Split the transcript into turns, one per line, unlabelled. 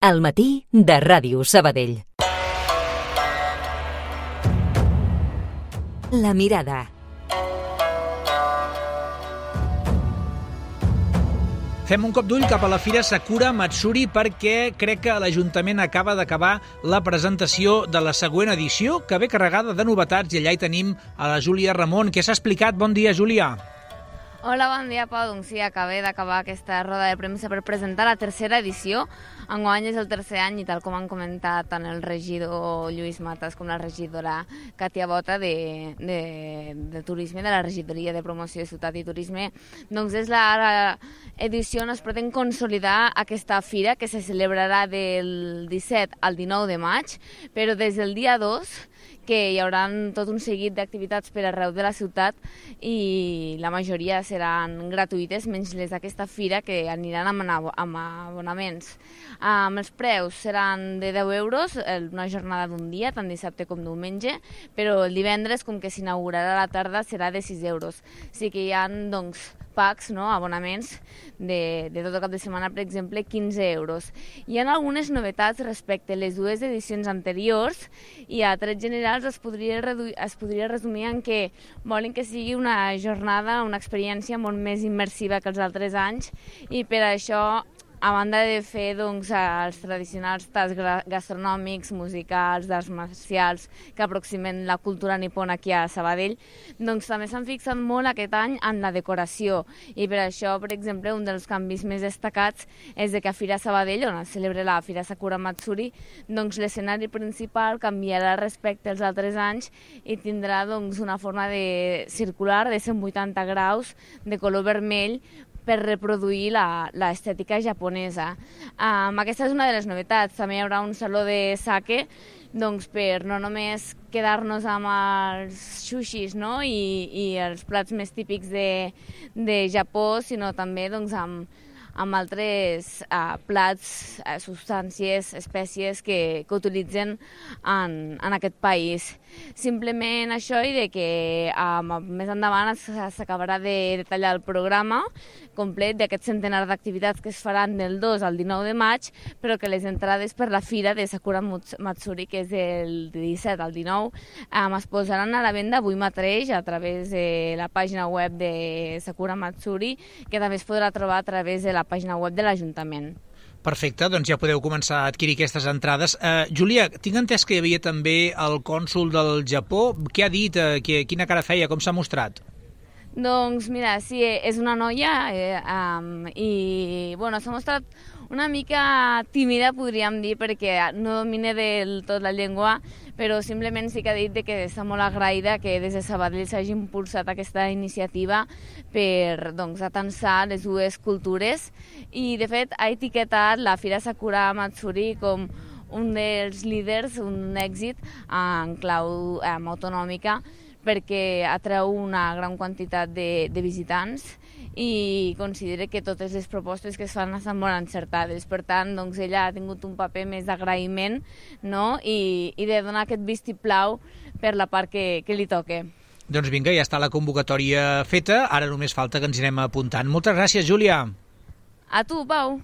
Al matí de Ràdio Sabadell. La mirada.
Fem un cop d'ull cap a la Fira Sakura Matsuri perquè crec que l'Ajuntament acaba d'acabar la presentació de la següent edició, que ve carregada de novetats, i allà hi tenim a la Júlia Ramon. Què s'ha explicat? Bon dia, Júlia.
Hola, bon dia, Pau. Doncs sí, acabé d'acabar aquesta roda de premsa per presentar la tercera edició. Enguany és el tercer any i tal com han comentat tant el regidor Lluís Matas com la regidora Katia Bota de Turisme, de la regidoria de promoció de ciutat i turisme, doncs és l'edició on es pretén consolidar aquesta fira que se celebrarà del 17 al 19 de maig, però des del dia 2 que hi haurà tot un seguit d'activitats per arreu de la ciutat i la majoria seran gratuïtes, menys les d'aquesta fira que aniran amb abonaments. Els preus seran de 10 euros, una jornada d'un dia, tant dissabte com diumenge, però el divendres, com que s'inaugurarà a la tarda, serà de 6 euros. Sí que hi ha, doncs, packs, abonaments de tot el cap de setmana, per exemple, 15 euros. Hi ha algunes novetats respecte a les dues edicions anteriors i a trets generals es podria resumir en que volen que sigui una jornada, una experiència molt més immersiva que els altres anys i per això, a banda de fer els tradicionals tasts gastronòmics, musicals, d'arts marcials que aproximen la cultura nipona aquí a Sabadell, també s'han fixat molt aquest any en la decoració i per això, per exemple, un dels canvis més destacats és que a Fira Sabadell, on es celebra la Fira Sakura Matsuri, l'escenari principal canviarà respecte als altres anys i tindrà una forma circular de 180 graus de color vermell per reproduir l'estètica japonesa. Aquesta és una de les novetats. També hi haurà un saló de sake per no només quedar-nos amb els sushis i els plats més típics de Japó, sinó també amb altres plats, substàncies, espècies que utilitzen en aquest país. Simplement això i que més endavant s'acabarà de detallar el programa complet d'aquest centenar d'activitats que es faran del 2 al 19 de maig, però que les entrades per la fira de Sakura Matsuri, que és del 17 al 19, es posaran a la venda avui mateix a través de la pàgina web de Sakura Matsuri, que també es podrà trobar a través de la pàgina web de l'Ajuntament.
Perfecte, doncs ja podeu començar a adquirir aquestes entrades. Júlia, tinc entès que hi havia també el cònsol del Japó. Què ha dit? Quina cara feia? Com s'ha mostrat?
Doncs mira, sí, és una noia i s'ha mostrat una mica tímida, podríem dir, perquè no domina del tot la llengua, però simplement sí que ha dit que està molt agraïda que des de Sabadell s'hagi impulsat aquesta iniciativa per atansar les dues cultures i, de fet, ha etiquetat la Fira Sakura Matsuri com un dels líders, un èxit en clau autonòmica, perquè atreu una gran quantitat de visitants i considera que totes les propostes que es fan estan molt encertades. Per tant, ella ha tingut un paper més d'agraïment i de donar aquest vistiplau per la part que li toca.
Doncs vinga, ja està la convocatòria feta, ara només falta que ens hi anem apuntant. Moltes gràcies, Júlia.
A tu, Pau.